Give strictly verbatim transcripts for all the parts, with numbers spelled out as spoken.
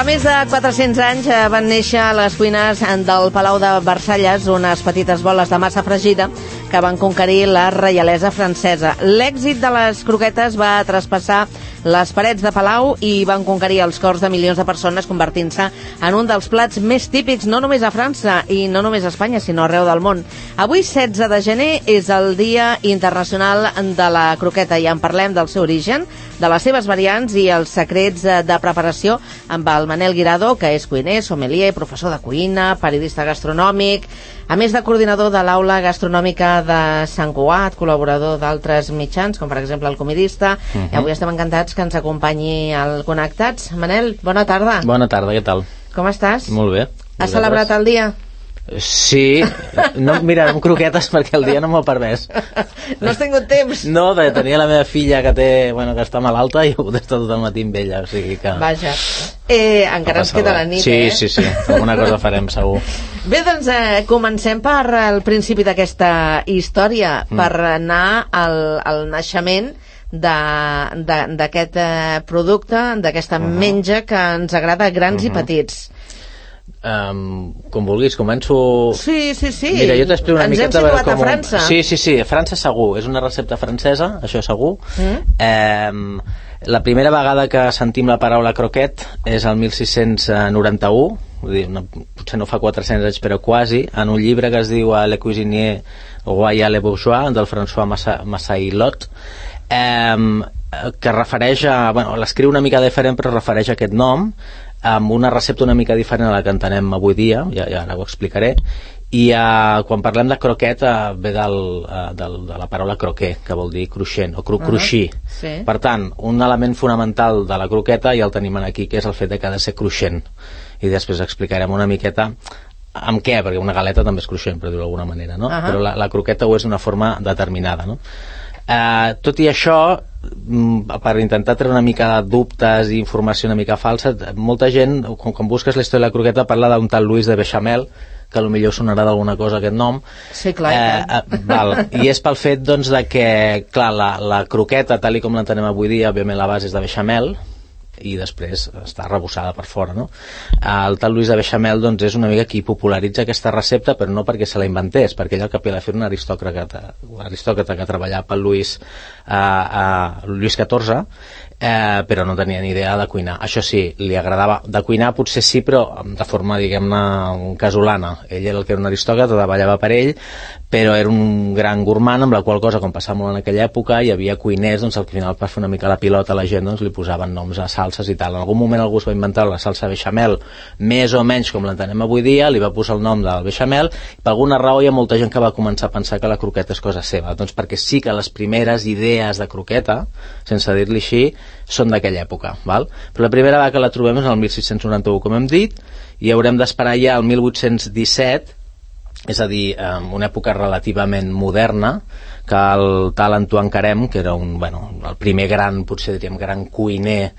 més de quatre-cents anys van néixer a les cuines del Palau de Versalles unes petites boles de massa fregida que van conquerir la reialesa francesa. L'èxit de les croquetes va traspassar les parets de Palau i van conquerir els cors de milions de persones, convertint-se en un dels plats més típics no només a França i no només a Espanya, sinó arreu del món. Avui, setze de gener, és el Dia Internacional de la Croqueta i en parlem del seu origen, de les seves variants i els secrets de preparació amb el Manel Guirado, que és cuiner, sommelier, professor de cuina, periodista gastronòmic, a més de coordinador de l'Aula Gastronòmica de Sant Cugat, col·laborador d'altres mitjans, com per exemple el Comidista. Uh-huh. I avui estem encantats que ens acompanyi al Connectats. Manel, bona tarda. Bona tarda, què tal? Com estàs? Molt bé. Has celebrat el dia? Sí, no, mira, amb croquetes perquè el dia no m'ho ha permès. No has tingut temps? No, perquè tenia la meva filla que té, bueno, que està malalta i he pogut estar tot el matí amb ella, o sigui que... Vaja, eh, encara ens queda la nit, sí, eh? Sí, sí, sí, alguna cosa farem segur. Bé, doncs eh, comencem per el principi d'aquesta història, mm. per anar al, al naixement d'aquest eh, producte, d'aquesta uh-huh. menja que ens agrada a grans uh-huh. i petits. Um, com vulguis, començo... Sí, sí, sí. Mira, jo t'explico una ens miqueta... Ens hem situat com... a França. Sí, sí, sí, a França segur. És una recepta francesa, això segur. Mm. Um, la primera vegada que sentim la paraula croquet és el mil sis-cents noranta-u, vull dir, no, potser no fa quatre-cents anys, però quasi, en un llibre que es diu Le Cuisinier Royal et Bourgeois, del François Massaillot, um, que refereix a... Bueno, l'escriu una mica diferent, però refereix a aquest nom, amb una recepta una mica diferent a la que entenem avui dia, ja, ja ara ho explicaré, i uh, quan parlem de croquet uh, ve del, uh, del, de la paraula croquer, que vol dir cruixent o cru, uh-huh. cruixir. Sí. Per tant, un element fonamental de la croqueta ja el tenim aquí, que és el fet de que ha de ser cruixent, i després explicarem una miqueta amb què, perquè una galeta també és cruixent, per dir-ho d'alguna manera, no? Uh-huh. Però la, la croqueta ho és d'una forma determinada, no? Uh, tot i això, per intentar treure una mica de dubtes i informació una mica falsa, molta gent, quan, quan busques la història de la croqueta, parla d'un tal Louis de Bechamel, que potser sonarà d'alguna cosa aquest nom. Sí, clar. Eh, eh, val. I és pel fet, doncs, de que, clar, la, la croqueta, tal i com l'entenem avui dia, òbviament la base és de Bechamel, i després està arrebossada per fora, no? El tal Louis de Bechamel, doncs, és una mica qui popularitza aquesta recepta, però no perquè se la inventés, perquè ell al cap i a la fi era un aristòcrata, un aristòcrata que treballava per Louis, uh, uh, Louis catorze, eh, però no tenia ni idea de cuinar. Això sí, li agradava de cuinar, potser sí, però de forma, diguem-ne, casolana. Ell era el que era un aristòcrata, treballava per ell, però era un gran gourmand, amb la qual cosa, com passava molt en aquella època, hi havia cuiners, doncs al final, per fer una mica la pilota a la gent, doncs li posaven noms a salses i tal. En algun moment algú es va inventar la salsa bechamel, més o menys com l'entenem avui dia, li va posar el nom del bechamel, i per alguna raó hi ha molta gent que va començar a pensar que la croqueta és cosa seva, doncs perquè sí que les primeres idees de croqueta, sense dir-li així, són d'aquella època, val? Però la primera vegada que la trobem és el mil sis-cents noranta-u, com hem dit, i haurem d'esperar ja el mil vuit-cents disset, és a dir, en una època relativament moderna, que el tal Antoine Carême, que era un, bueno, el primer gran, potser diríem, gran cuiner,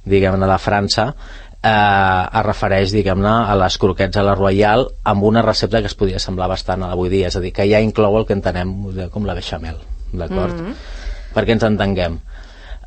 diguem-ne, de França, eh, es refereix, diguem-ne, a les croquettes a la Royal amb una recepta que es podia semblar bastant a l'avui dia, és a dir, que ja inclou el que entenem com la bechamel, d'acord? Mm-hmm. Perquè ens entenguem.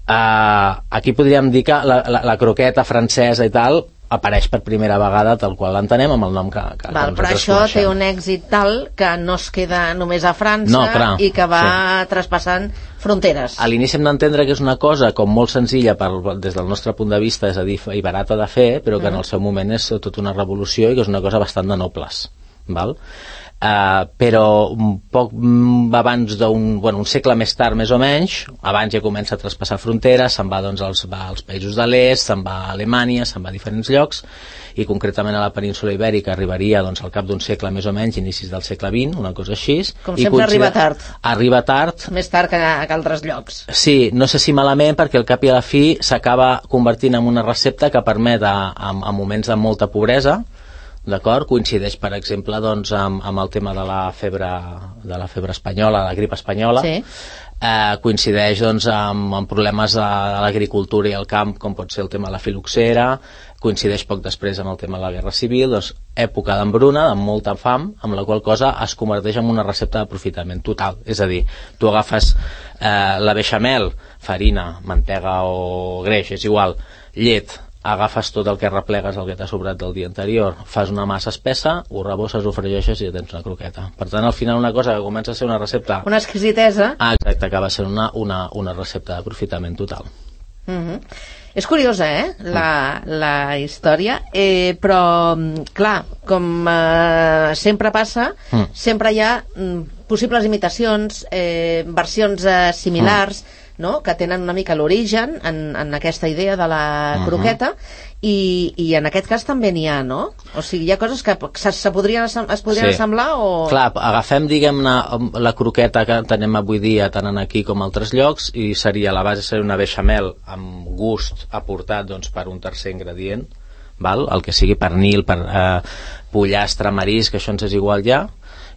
Uh, aquí podríem dir que la, la, la croqueta francesa i tal apareix per primera vegada tal qual l'entenem amb el nom que, que, Val, que però això coneixem. Té un èxit tal que no es queda només a França, no, clar, i que va sí. traspassant fronteres. A l'inici hem d'entendre que és una cosa com molt senzilla per, des del nostre punt de vista, és a dir, i barata de fer, però que mm. en el seu moment és tota una revolució i que és una cosa bastant de nobles, val? Uh, però un poc abans d'un, bueno, un segle més tard més o menys, abans ja comença a traspassar fronteres, se'n va doncs als, va als països de l'est, se'n va a Alemanya, se'n va a diferents llocs, i concretament a la península ibèrica arribaria doncs al cap d'un segle més o menys, inicis del segle vint, una cosa així. Com sempre arriba tard. Arriba tard. Més tard que, que altres llocs. Sí, no sé si malament, perquè al cap i a la fi s'acaba convertint en una recepta que permet a, a, a moments de molta pobresa, d'acord? Coincideix, per exemple, doncs, amb, amb el tema de la febre de la febre espanyola, la grip espanyola. Sí. Eh, coincideix doncs, amb, amb problemes de, de l'agricultura i el camp, com pot ser el tema de la filoxera, coincideix poc després amb el tema de la guerra civil, doncs, època d'embruna, amb molta fam, amb la qual cosa es converteix en una recepta d'aprofitament total. És a dir, tu agafes eh, la bechamel, farina, mantega o greix, és igual, llet, agafes tot el que replegues, el que t'ha sobrat del dia anterior, fas una massa espessa, ho rebosses, ho fregeixes i ja tens una croqueta. Per tant, al final una cosa que comença a ser una recepta... Una exquisitesa. Ah, exacte, acaba sent una, una, una recepta d'aprofitament total. Mm-hmm. És curiosa, eh, la, la història, eh, però, clar, com eh, sempre passa, mm. sempre hi ha mm, possibles imitacions, eh, versions eh, similars, mm. no?, que tenen una mica l'origen en, en aquesta idea de la uh-huh. croqueta, i, i en aquest cas també n'hi ha, no? O sigui, hi ha coses que se, se podrien, es podrien sí. assemblar o... Clar, agafem, diguem-ne, la croqueta que tenem avui dia tant aquí com a altres llocs, i seria, la base seria una beixamel amb gust aportat doncs, per un tercer ingredient, val? El que sigui pernil, per eh, pollastre, marisc, que això ens és igual ja,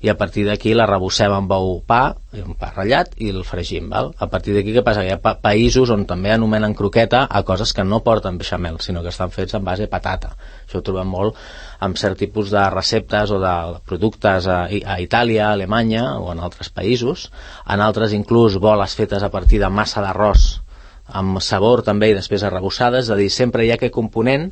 i a partir d'aquí la rebossem amb ou pa, un pa ratllat, i el fregim, val? A partir d'aquí què passa? Hi ha pa països on també anomenen croqueta a coses que no porten beixamel, sinó que estan fets en base a patata. Això ho trobem molt amb cert tipus de receptes o de productes a, a Itàlia, a Alemanya o en altres països. En altres inclús boles fetes a partir de massa d'arròs amb sabor també i després arrebossades, és a dir, sempre hi ha aquest component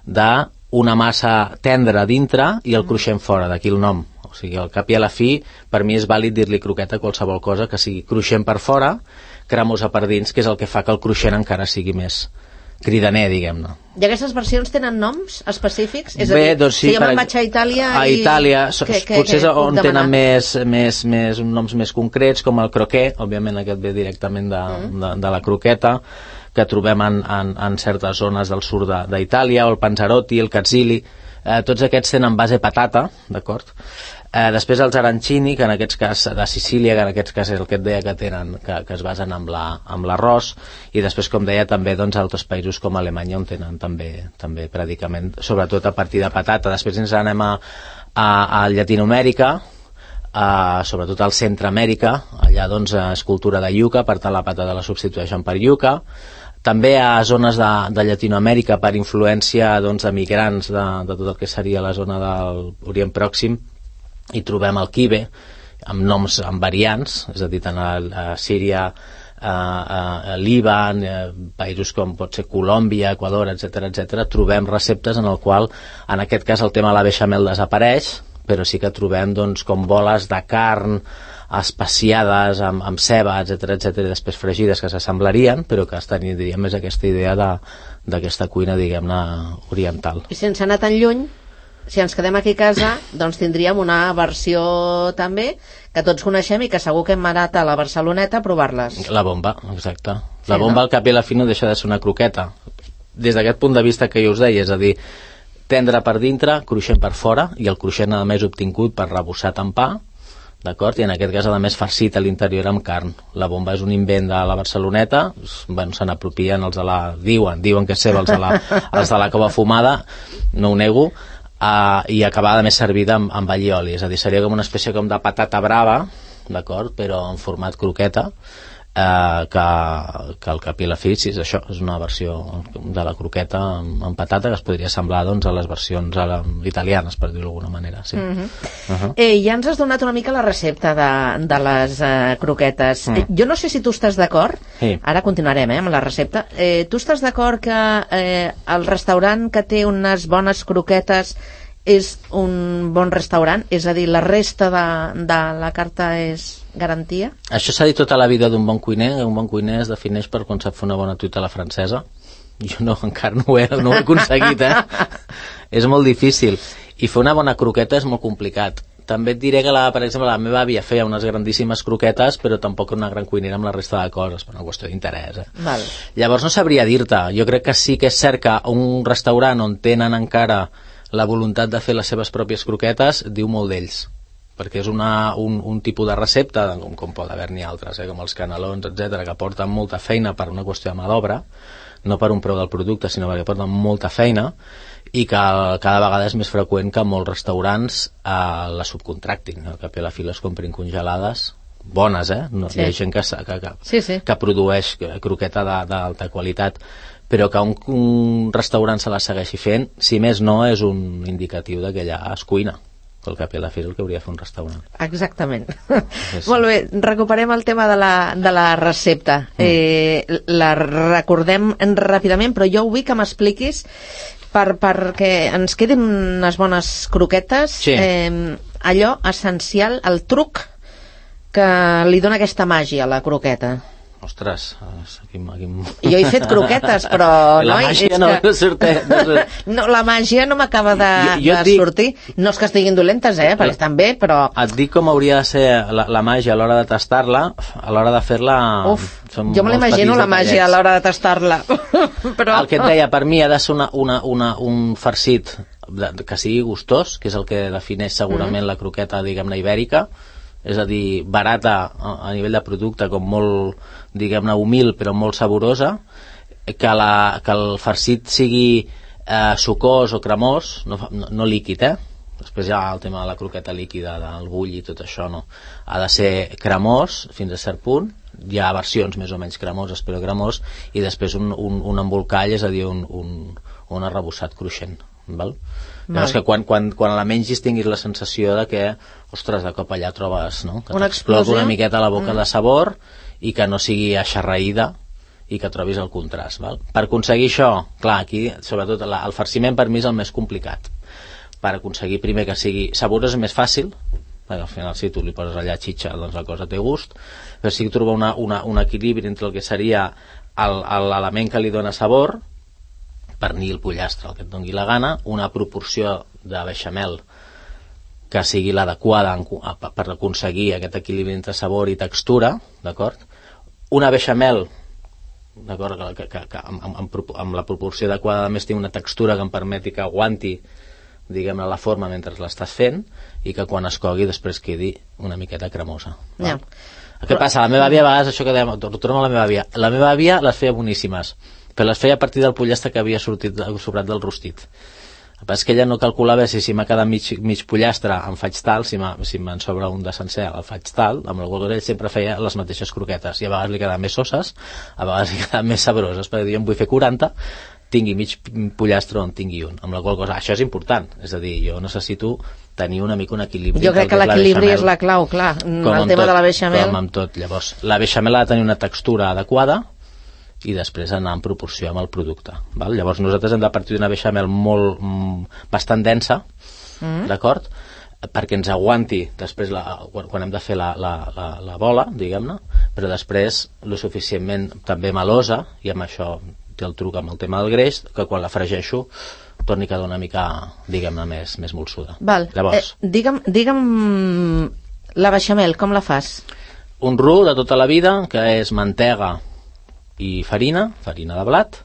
d'una massa tendra dintre i el cruixent fora, d'aquí el nom. O sigui, al cap i a la fi, per mi és vàlid dir-li croqueta a qualsevol cosa que sigui cruixent per fora, cremosa per dins, que és el que fa que el cruixent encara sigui més cridaner, diguem-ne. I aquestes versions tenen noms específics? És Bé, a dir, doncs sí, si jo me'n vaig a Itàlia... A i... Itàlia, que, que, potser és on que tenen més, més, més, noms més concrets, com el croquet, òbviament aquest ve directament de, mm. de, de la croqueta, que trobem en, en, en certes zones del sud d'Itàlia, o el panzerotti, el cazzili, eh, tots aquests tenen base patata, d'acord? Eh, després els arancini, que en aquests cas de Sicília, que en aquests cas és el que et deia que tenen, que, que es basen amb l'arròs, i després, com deia, també doncs, altres països com Alemanya on tenen també, també predicament, sobretot a partir de patata. Després ens anem a, a, a Llatinoamèrica, a, sobretot al Centreamèrica, allà doncs és cultura de iuca, per tant la patata la substitueixen per iuca. També a zones de, de Llatinoamèrica per influència doncs, de migrants de, de tot el que seria la zona de l'Orient Pròxim, i trobem el quibe amb noms, amb variants, és a dir, tant a, a Síria, a, a, a Líban, a països com pot ser Colòmbia, Equador, etcètera, etcètera, trobem receptes en el qual, en aquest cas el tema de la beixamel desapareix, però sí que trobem doncs, com boles de carn especiades amb, amb ceba, etcètera, etcètera, i després fregides que s'assemblarien, però que estan, diríem, més aquesta idea d'aquesta cuina, diguem-ne, oriental. I sense anar tan lluny, si ens quedem aquí a casa, doncs tindríem una versió també que tots coneixem i que segur que hem anat a la Barceloneta a provar-les. La bomba, exacte. La sí, bomba, no? Al cap i a la fi no deixa de ser una croqueta. Des d'aquest punt de vista que jo us deia, és a dir, tendre per dintre, cruixent per fora, i el cruixent a més obtingut per rebossat en pa, d'acord? I en aquest cas, a més, farcit a l'interior amb carn. La bomba és un invent de la Barceloneta, bueno, se n'apropien els de la... diuen, diuen que és seva els de la, els de la cova fumada, no ho nego, Uh, i acabada més servida amb, amb allioli, és a dir, seria com una espècie com de patata brava, d'acord, però en format croqueta, uh, que, que al cap i la fi, sí, és això, és una versió de la croqueta amb, amb patata que es podria semblar doncs, a les versions a la, italianes, per dir-ho d'alguna manera, sí. Mm-hmm. uh-huh. eh, ja ens has donat una mica la recepta de, de les uh, croquetes. Mm. Eh, jo no sé si tu estàs d'acord, sí. Ara continuarem eh, amb la recepta, eh, tu estàs d'acord que eh, el restaurant que té unes bones croquetes és un bon restaurant? És a dir, la resta de, de la carta és garantia? Això s'ha dit tota la vida d'un bon cuiner, un bon cuiner es defineix per quan sap fer una bona truita a la francesa. Jo no, encara no ho he, no ho he aconseguit, eh? És molt difícil. I fer una bona croqueta és molt complicat. També et diré que, la, per exemple, la meva àvia feia unes grandíssimes croquetes, però tampoc una gran cuinera amb la resta de coses, per una qüestió d'interès. Eh? Val. Llavors no sabria dir-te. Jo crec que sí que és cert que un restaurant on tenen encara la voluntat de fer les seves pròpies croquetes diu molt d'ells, perquè és una, un, un tipus de recepta, com, com pot haver-n'hi altres, eh, com els canelons, etcètera, que porten molta feina per una qüestió de mà d'obra, no per un preu del producte, sinó perquè porten molta feina, i que cada vegada és més freqüent que molts restaurants eh, la subcontractin, no? Que a la fi les comprin congelades, bones, eh? No, sí. Hi ha gent que, que, que, sí, sí. que produeix croqueta d'alta qualitat, però que un, un restaurant se la segueixi fent, si més no, és un indicatiu de que allà es cuina. que al cap i a la fi és el que hauria de fer un restaurant. Exactament. Sí, sí. Molt bé, recuperem el tema de la, de la recepta. Mm. Eh, la recordem ràpidament, però jo vull que m'expliquis per, perquè ens quedin unes bones croquetes, sí. eh, allò essencial, el truc que li dona aquesta màgia a la croqueta. Ostres, aquí, aquí... Jo he fet croquetes, però... La noi, màgia no, que... no surt... No, surt... no, la màgia no m'acaba de, jo, jo de dic... sortir. No és que estiguin dolentes, eh, perquè estan bé, però... Et dic com hauria de ser la, la màgia a l'hora de tastar-la, a l'hora de fer-la... Uf, jo me l'imagino la màgia a l'hora de tastar-la. Però... El que et deia, per mi ha de ser una, una, una, un farcit de, que sigui gustós, que és el que defineix segurament mm. la croqueta, diguem-ne, ibèrica, és a dir, barata a, a nivell de producte, com molt, diguem-ne, humil, però molt saborosa, que, la, que el farcit sigui eh, sucós o cremós, no, no, no líquid, eh? Després hi ha el tema de la croqueta líquida, del bull i tot això, no. Ha de ser cremós fins a cert punt, hi ha versions més o menys cremoses, però cremós, i després un, un, un embolcall, és a dir, un, un, un arrebossat cruixent, val? Llavors que quan, quan, quan la mengis tinguis la sensació de que, ostres, de cop allà trobes, no? Que t'explota una miqueta a la boca mm. de sabor i que no sigui aixarraïda i que trobis el contrast, val? Per aconseguir això, clar, aquí, sobretot la, el farciment per mi és el més complicat. Per aconseguir primer que sigui saborós és més fàcil, perquè al final si tu li poses allà xitxa, doncs la cosa té gust, però sí que trobar una, una, un equilibri entre el que seria l'element que li dona sabor, pernil, pollastre, el que et doni la gana, una proporció de beixamel que sigui l'adequada per aconseguir aquest equilibri entre sabor i textura, d'acord? Una beixamel, d'acord, que, que, que amb, amb, amb la proporció adequada a més té una textura que em permeti que aguanti, diguem-ne, la forma mentre l'estàs fent i que quan es cogui després quedi una miqueta cremosa. Ja. Què Però... passa? La meva àvia a vegades, això que dèiem, tornem a la meva àvia, la meva àvia les feia boníssimes, però les feia a partir del pollastre que havia sortit sobrat del rostit. El que passa és que ella no calculava si, si m'ha quedat mig, mig pollastre en faig tal, si, si me'n sobra un de sencer el faig tal, amb la qual cosa ell sempre feia les mateixes croquetes i a vegades li quedaven més soses, a vegades li quedaven més sabroses, perquè jo em vull fer quaranta, tingui mig pollastre o en tingui un, amb la qual cosa això és important, és a dir, jo necessito tenir una mica un equilibri. Jo crec que l'equilibri és la clau, clar, el tema tot, de la beixamel. Com amb tot, llavors, la beixamel ha de tenir una textura adequada i després anar en proporció amb el producte, val? Llavors nosaltres hem de partir d'una beixamel molt, mm, bastant densa, mm. d'acord? Perquè ens aguanti després la, quan, quan hem de fer la, la, la, la bola, diguem-ne, però després lo suficientment també melosa, i amb això té el truc amb el tema del greix, que quan la fregeixo torni a quedar una mica, diguem-ne, més, més molsuda. Val. Llavors, eh, digue'm, digue'm la beixamel, com la fas? Un roux de tota la vida, que és mantega i farina, farina de blat,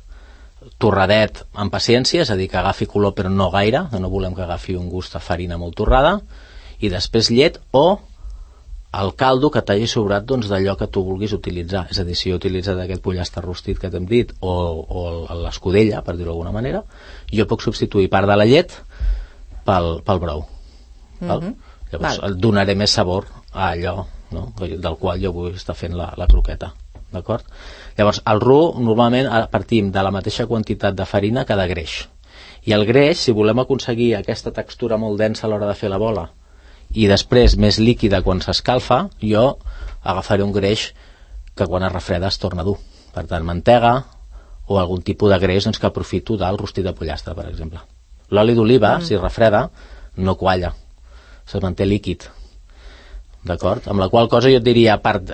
torradet amb paciència, és a dir, que agafi color però no gaire, que no volem que agafi un gust a farina molt torrada, i després llet o el caldo que t'hagi sobrat doncs, d'allò que tu vulguis utilitzar, és a dir, si he utilitzat aquest pollastre rostit que t'hem dit o, o l'escudella, per dir-ho d'alguna manera, jo puc substituir part de la llet pel, pel brou. Val? Mm-hmm. Llavors Val. donaré més sabor a allò, no? del qual jo vull estar fent la, la croqueta. D'acord? Llavors, el roux normalment partim de la mateixa quantitat de farina que de greix. I el greix, si volem aconseguir aquesta textura molt densa a l'hora de fer la bola i després més líquida quan s'escalfa, jo agafaré un greix que quan es refreda es torna dur. Per tant, mantega o algun tipus de greix doncs, que aprofito del rostit de pollastre, per exemple. L'oli d'oliva, mm. si refreda, no qualla, se manté líquid. D'acord? Amb la qual cosa jo et diria, a part,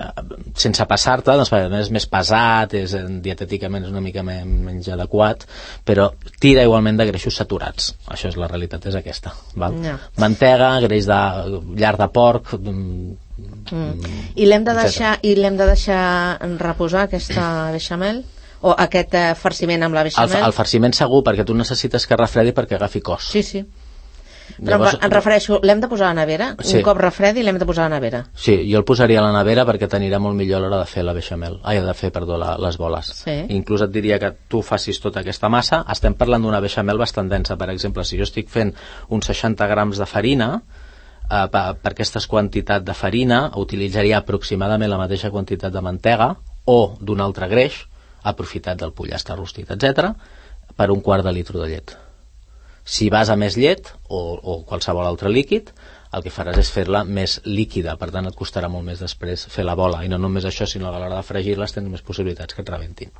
sense passar-te, doncs, és més pesat, és, dietèticament és una mica menys adequat, però tira igualment de greixos saturats. Això és la realitat, és aquesta. Val? No. Mantega, greix de llar de porc... Mm. I l'hem de deixar i l'hem de deixar reposar aquesta beixamel? O aquest eh, farciment amb la beixamel? El, el farciment segur, perquè tu necessites que refredi perquè agafi cos. Sí, sí. Però llavors, em refereixo, l'hem de posar a la nevera? Sí. Un cop refredi l'hem de posar a la nevera? Sí, jo el posaria a la nevera perquè t'anirà molt millor a l'hora de fer la beixamel. Ai, de fer, perdó, la, les boles. Sí. Inclús et diria que tu facis tota aquesta massa. Estem parlant d'una beixamel bastant densa. Per exemple, si jo estic fent uns seixanta grams de farina, eh, per, per aquesta quantitat de farina utilitzaria aproximadament la mateixa quantitat de mantega o d'un altre greix, aprofitat del pollastre rostit, etcètera, per un quart de litre de llet. Si vas a més llet o, o qualsevol altre líquid, el que faràs és fer-la més líquida, per tant et costarà molt més després fer la bola, i no només això, sinó que a l'hora de fregir-les tens més possibilitats que et rebentin.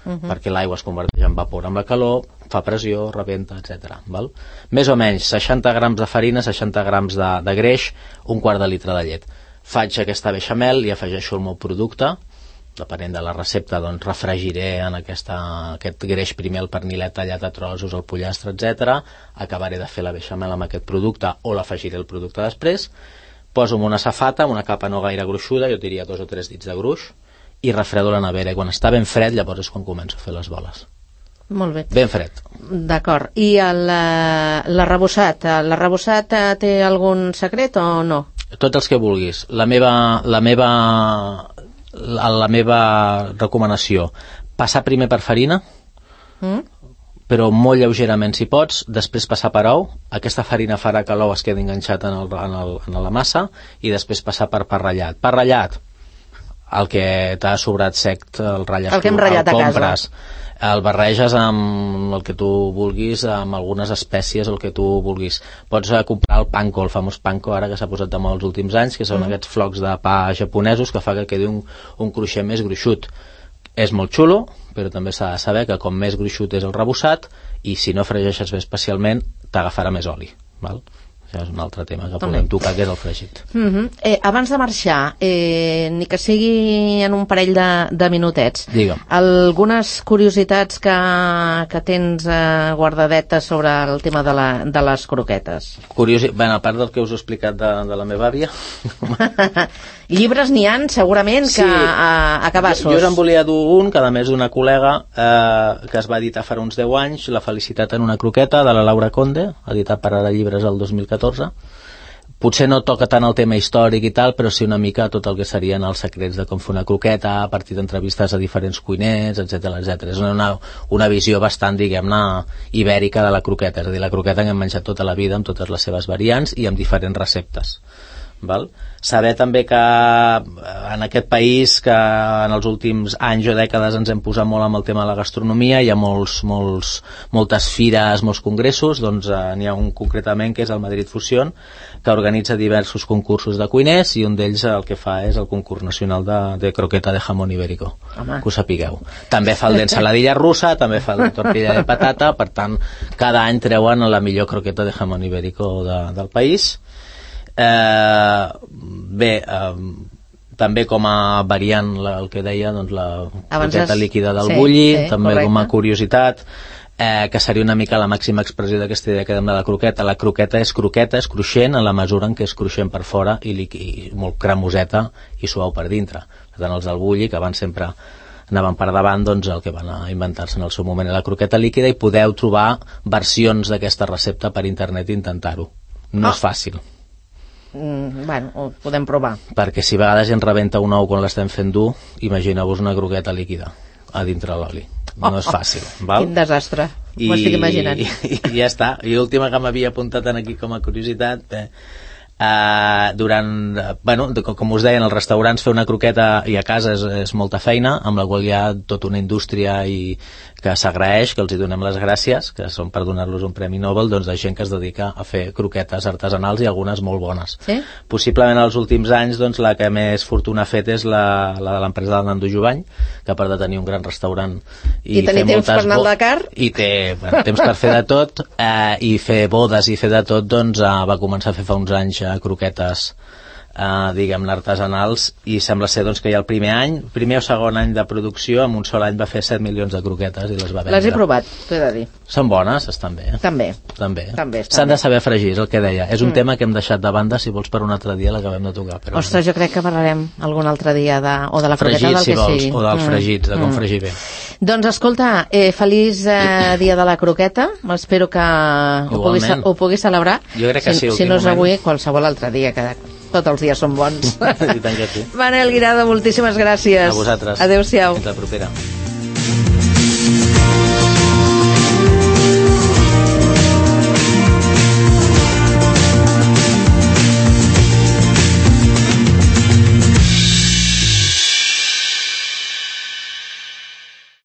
Uh -huh. Perquè l'aigua es converteix en vapor amb la calor, fa pressió, rebenta, etcètera. Val? Més o menys seixanta grams de farina, seixanta grams de, de greix, un quart de litre de llet. Faig aquesta beixamel i afegeixo el meu producte, depenent de la recepta, doncs refregiré en aquesta, aquest greix primer el pernilet tallat a trossos, el pollastre, etcètera. Acabaré de fer la beixamel amb aquest producte o l'afegiré el producte després. Poso en una safata, una capa no gaire gruixuda, jo diria dos o tres dits de gruix, i refredo a la nevera, i quan està ben fred llavors és quan començo a fer les boles. Molt bé. Ben fred. D'acord. I l'arrebossat? L'arrebossat té algun secret o no? Tots els que vulguis. La meva la meva la, la meva recomanació, passar primer per farina, mm? però molt lleugerament si pots, després passar per ou. Aquesta farina farà que l'ou es quedi enganxat en, el, en, el, en la massa, i després passar per pa ratllat. Pa ratllat, el que t'ha sobrat sec, el ratlles, el que hem ratllat a compres, el barreges amb el que tu vulguis, amb algunes espècies, el que tu vulguis. Pots comprar el panko, el famós panko ara que s'ha posat de moda els últims anys, que són mm. aquests flocs de pa japonesos que fa que quedi un, un cruixent més gruixut. És molt xulo, però també s'ha de saber que com més gruixut és el rebossat, i si no fregeixes bé especialment t'agafarà més oli, val? Això és un altre tema que podem tocar, que és el fregit. Uh-huh. eh, abans de marxar, eh, ni que sigui en un parell de, de minutets, Digue'm. Algunes curiositats que, que tens eh, guardadetes sobre el tema de, la, de les croquetes. Curiosi... Bé, a part del que us he explicat de, de la meva àvia. Llibres n'hi han, segurament, que sí. a, a cabassos. Jo, jo us en volia dur un, que a més d'una col·lega, eh, que es va editar fa uns deu anys, La felicitat en una croqueta, de la Laura Conde, editat per Ara Llibres el dos mil catorze. Potser no toca tant el tema històric i tal, però sí una mica tot el que serien els secrets de com fer una croqueta, a partir d'entrevistes a diferents cuiners, etcètera, etcètera. És una, una visió bastant, diguem-ne, ibèrica de la croqueta. És a dir, la croqueta que hem menjat tota la vida amb totes les seves variants i amb diferents receptes. Val? Saber també que en aquest país, que en els últims anys o dècades ens hem posat molt amb el tema de la gastronomia, hi ha molts, molts, moltes fires, molts congressos, doncs eh, n'hi ha un concretament que és el Madrid Fusión, que organitza diversos concursos de cuiners, i un d'ells el que fa és el concurs nacional de, de croqueta de jamón ibérico. Home. Que ho sapigueu. També fa el d'ensaladilla russa, també fa el de tortilla de patata, per tant cada any treuen la millor croqueta de jamón ibérico de, del país. Eh, bé, eh, també com a variant la, el que deia, doncs, la croqueta líquida del sí, bulli, sí, també correcte. Com a curiositat, eh, que seria una mica la màxima expressió d'aquesta idea que dèiem de la croqueta. La croqueta és croqueta, és cruixent en la mesura en què és cruixent per fora i, i molt cremoseta i suau per dintre. Per tant, els del bulli, que van sempre anaven per davant, doncs el que van a inventar-se en el seu moment és la croqueta líquida, i podeu trobar versions d'aquesta recepta per internet i intentar-ho. No oh. és fàcil. Mm, bueno, ho podem provar. Perquè si a vegades ja ens rebenta un ou quan l'estem fent dur, imagineu-vos una croqueta líquida a dintre l'oli. No oh, és fàcil, val? Quin desastre, m'ho estic imaginant. I, i, i ja està. I l'última que m'havia apuntat aquí com a curiositat, bé, Uh, durant, bueno, com us deia, en els restaurants fer una croqueta i a casa és, és molta feina, amb la qual hi ha tota una indústria i que s'agraeix, que els hi donem les gràcies, que són per donar-los un premi Nobel, doncs de gent que es dedica a fer croquetes artesanals i algunes molt bones. Sí? Possiblement els últims anys doncs, la que més fortuna ha fet és la, la de l'empresa del Nando Jovany, que a part de tenir un gran restaurant i, I tenir temps per anar al Dakar i té bueno, temps per fer de tot, eh, i fer bodes i fer de tot, doncs eh, va començar a fer fa uns anys croquetes eh, diguem-ne artesanals, i sembla ser doncs, que ja el primer any, primer o segon any de producció, en un sol any va fer set milions de croquetes i les va vendre. Les he provat, t'he de dir. Són bones, estan bé. També. També. També s'han de saber fregir, és el que deia. És un mm. tema que hem deixat de banda, si vols per un altre dia l'acabem de tocar. Però ostres, jo crec que parlarem algun altre dia de, o de la croqueta fregit, del si que vols, sigui. O dels mm. fregits, de com mm. fregir bé. Doncs escolta, eh, feliç eh, dia de la croqueta, espero que ho puguis, ho puguis celebrar. Jo crec que si, sí. Si no és avui, qualsevol altre dia, que tots els dies són bons. I tant que sí. Manel Guirado, moltíssimes gràcies. A vosaltres. Adéu-siau. Fins la propera.